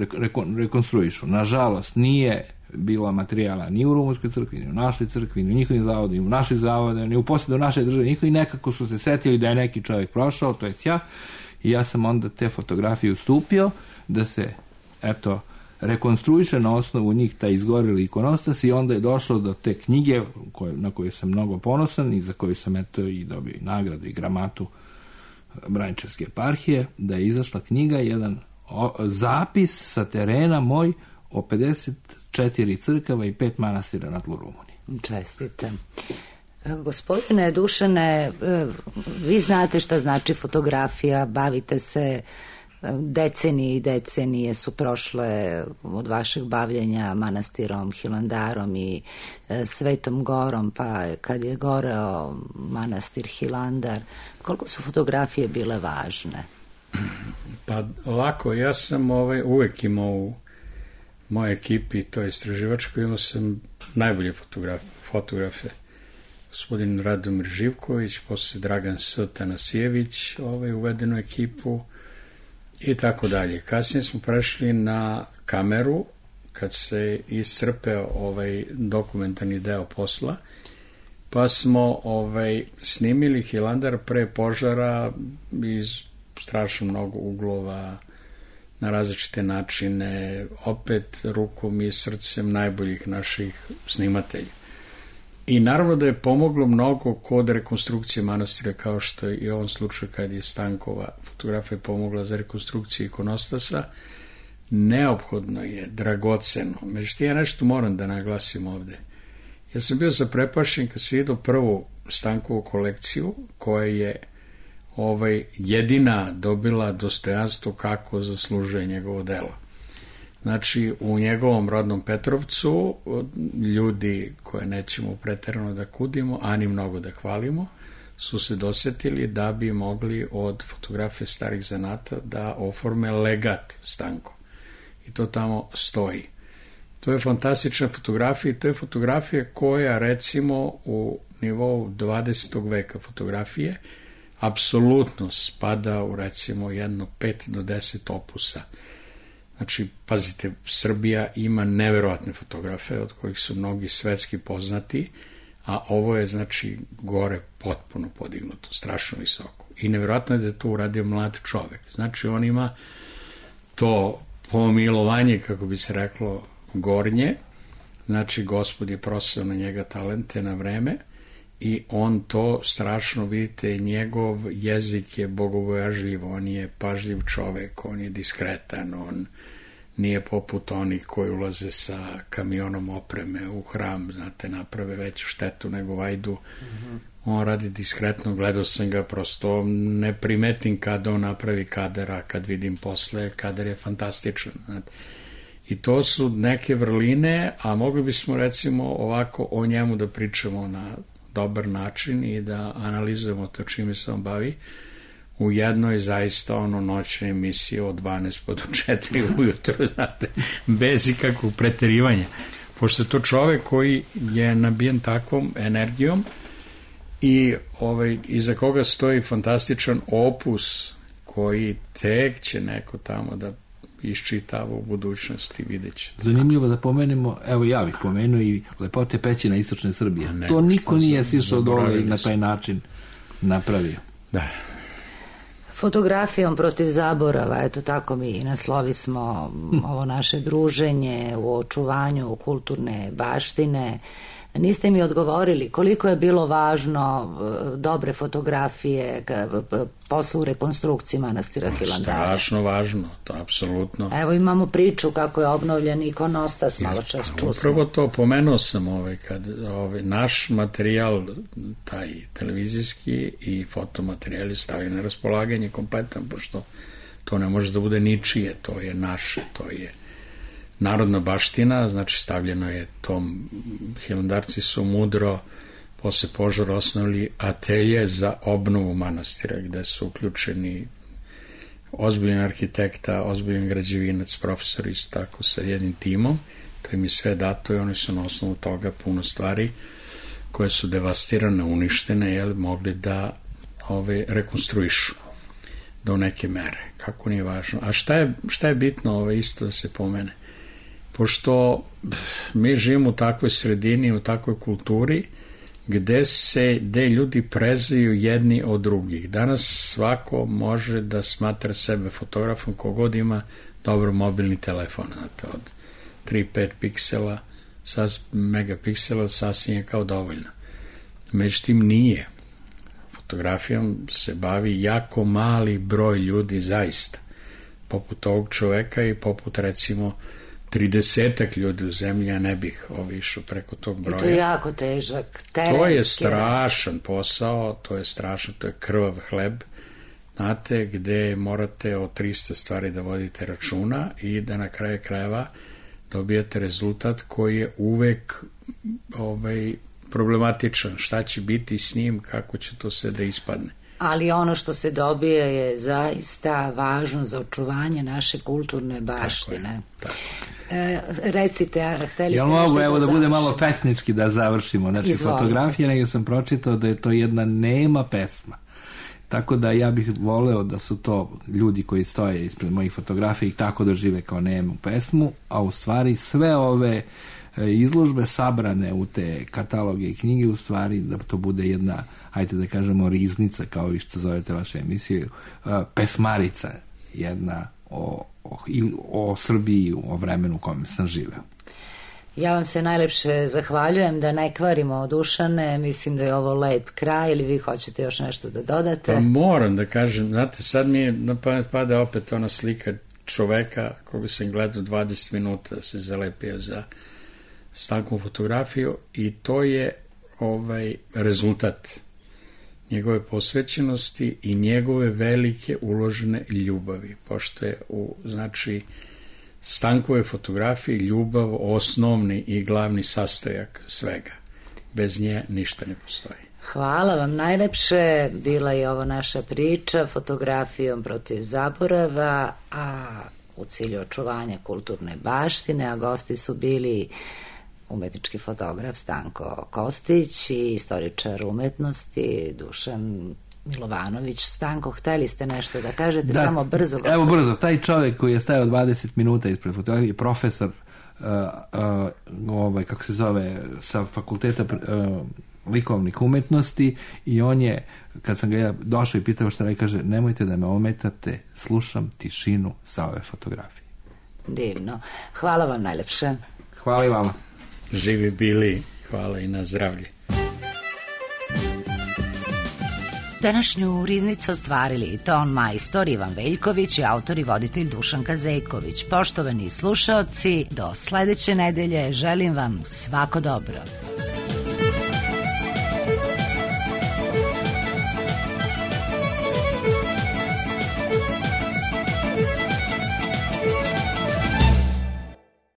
rekonstruišu. Nažalost, nije bilo materijala ni u Rumunskoj crkvi, ni u našoj crkvi, ni u njihovim zavodima, ni u našoj zavodima, ni u posledu naše države, njihovi nekako su se setili da je neki čovjek prošao, to je ja, i ja sam onda te fotografije ustupio da se, eto, rekonstruiše na osnovu njih taj izgoreli ikonostas i onda je došlo do te knjige na koju sam mnogo ponosan i za koju sam eto i dobio i nagradu i gramatu Braničevske eparhije, da je izašla knjiga, jedan zapis sa terena moj o 54 crkava i 5 manastira na tlu Rumunije. Čestitam. Gospodine Dušane, vi znate šta znači fotografija, bavite se, decenije i decenije su prošle od vašeg bavljenja manastirom Hilandarom i Svetom Gorom, pa kad je goreo manastir Hilandar, koliko su fotografije bile važne? Pa ovako, ja sam uvek imao u mojoj ekipi, to je istraživačko, imao sam najbolje fotografe. Gospodin Radomir Živković, posle Dragan S. Tanasijević, uveden u ekipu i tako dalje. Kasnije smo prešli na kameru, kad se iscrpeo dokumentarni deo posla, pa smo snimili Hilandar pre požara iz strašno mnogo uglova, na različite načine, opet rukom i srcem najboljih naših snimatelja. I naravno da je pomoglo mnogo kod rekonstrukcije manastira, kao što je i u ovom slučaju kad je Stankova fotografija pomogla za rekonstrukciju ikonostasa. Neophodno je, dragoceno. Međutim, ja nešto moram da naglasim ovde. Ja sam bio zaprepašen kad sam vidio prvu Stankovu kolekciju, koja je jedina dobila dostojanstvo kako zaslužuje njegovo delo. Znači, u njegovom rodnom Petrovcu ljudi koje nećemo preterano da kudimo, a ni mnogo da hvalimo, su se dosetili da bi mogli od fotografije starih zanata da oforme legat Stanko. I to tamo stoji. To je fantastična fotografija i to je fotografija koja, recimo, u nivou 20. veka fotografije apsolutno spada u, recimo, jedno 5 do 10 opusa. Znači, pazite, Srbija ima neverovatne fotografe, od kojih su mnogi svetski poznati, a ovo je, znači, gore potpuno podignuto, strašno visoko. I neverovatno je da je to uradio mlad čovek. Znači, on ima to pomilovanje, kako bi se reklo, gornje, znači, Gospod je prosao na njega talente na vreme, i on to strašno, vidite, njegov jezik je bogobojažljiv, on je pažljiv čovek, on je diskretan, on nije poput onih koji ulaze sa kamionom opreme u hram, znate, naprave veću štetu nego vajdu. On radi diskretno, gledao sam ga, prosto ne primetim kada on napravi kadar, a kad vidim posle, kadar je fantastičan, znate. I to su neke vrline, a mogli bismo, recimo, ovako o njemu da pričamo na dobar način i da analizujemo to čime se on bavi u jednoj zaista noćnoj emisiji od 12 pa do 4 ujutro, znate, bez ikakvog preterivanja. Pošto je to čovek koji je nabijen takvom energijom i iza koga stoji fantastičan opus koji tek će neko tamo da iščitava u budućnosti, vidjet će. Zanimljivo da pomenemo, evo ja bih pomenuo i lepote pećina istočne Srbije. To niko nije sišao dole i na taj način napravio. Da. Fotografijom protiv zaborava, eto tako mi naslovi smo ovo naše druženje u očuvanju kulturne baštine. Niste mi odgovorili koliko je bilo važno dobre fotografije posle u rekonstrukciji manastira Hilandara. Strašno važno, to apsolutno. Evo imamo priču kako je obnovljen ikonostas, malo čas čusmo. Upravo to pomenuo sam, kad naš materijal, taj televizijski i fotomaterijali stavljaju na raspolaganje kompletan, pošto to ne može da bude ničije, to je naše, to je narodna baština, znači stavljeno je tom, Hilandarci su mudro posle požara osnovili atelje za obnovu manastira, gde su uključeni ozbiljan arhitekta, ozbiljan građevinac, profesor, isto tako sa jednim timom, to im je sve dato i oni su na osnovu toga puno stvari koje su devastirane, uništene, mogli da rekonstruišu do neke mere, kako nije važno. A šta je bitno isto da se pomene? pošto mi živimo u takvoj sredini, u takvoj kulturi, gde ljudi prezaju jedni od drugih. Danas svako može da smatra sebe fotografom kogod ima dobro mobilni telefon, znate, od 3-5 piksela, megapiksela sasvim je kao dovoljno. Međutim, nije. Fotografijom se bavi jako mali broj ljudi zaista, poput ovog čoveka i poput recimo 30 ljudi u zemlji, ja ne bih išao preko tog broja. I to je jako težak, terenski. To je strašan posao, to je krvav hleb, znate, gde morate o 300 stvari da vodite računa i da na kraju krajeva dobijate rezultat koji je uvek problematičan. Šta će biti s njim, kako će to sve da ispadne. Ali ono što se dobije je zaista važno za očuvanje naše kulturne baštine. Tako. Recite, hteli ste nešto da završimo? Evo da bude malo pesnički da završimo. Znači, izvolite. Fotografija, nego sam pročitao da je to jedna nema pesma. Tako da ja bih voleo da su to ljudi koji stoje ispred mojih fotografija i tako dožive kao nemu pesmu, a u stvari sve ove izložbe sabrane u te kataloge i knjige, u stvari da to bude jedna, hajde da kažemo, riznica, kao vi što zovete vaše emisije, pesmarica jedna o Srbiji, o vremenu u kojem sam živeo. Ja vam se najlepše zahvaljujem, da ne kvarimo Dušane, mislim da je ovo lep kraj, ili vi hoćete još nešto da dodate? Pa moram da kažem, znate, sad mi je na pamet pada opet ona slika čoveka koga sam gledao 20 minuta, se zalepio za Stankovu fotografiju i to je rezultat njegove posvećenosti i njegove velike uložene ljubavi, pošto je znači Stankove fotografije ljubav osnovni i glavni sastojak svega. Bez nje ništa ne postoji. Hvala vam najlepše, bila je ovo naša priča fotografijom protiv zaborava, a u cilju očuvanja kulturne baštine, a gosti su bili umetnički fotograf Stanko Kostić i istoričar umetnosti Dušan Milovanović. Stanko, hteli ste nešto da kažete? Da, samo brzo. Evo brzo, taj čovjek koji je stajao 20 minuta ispred fotografije, profesor kako se zove, sa fakulteta likovnih umetnosti, i on je, kad sam ga ja došao i pitao šta radi, kaže, nemojte da me ometate, slušam tišinu sa ove fotografije. Divno. Hvala vam najlepše. Hvala i vama. Živi bili, hvala i na zdravlje. Današnju riznicu ostvarili ton majstor Ivan Veljković i autor i voditelj Dušan Kazejković. Poštovani slušaoci, do sledeće nedelje želim vam svako dobro.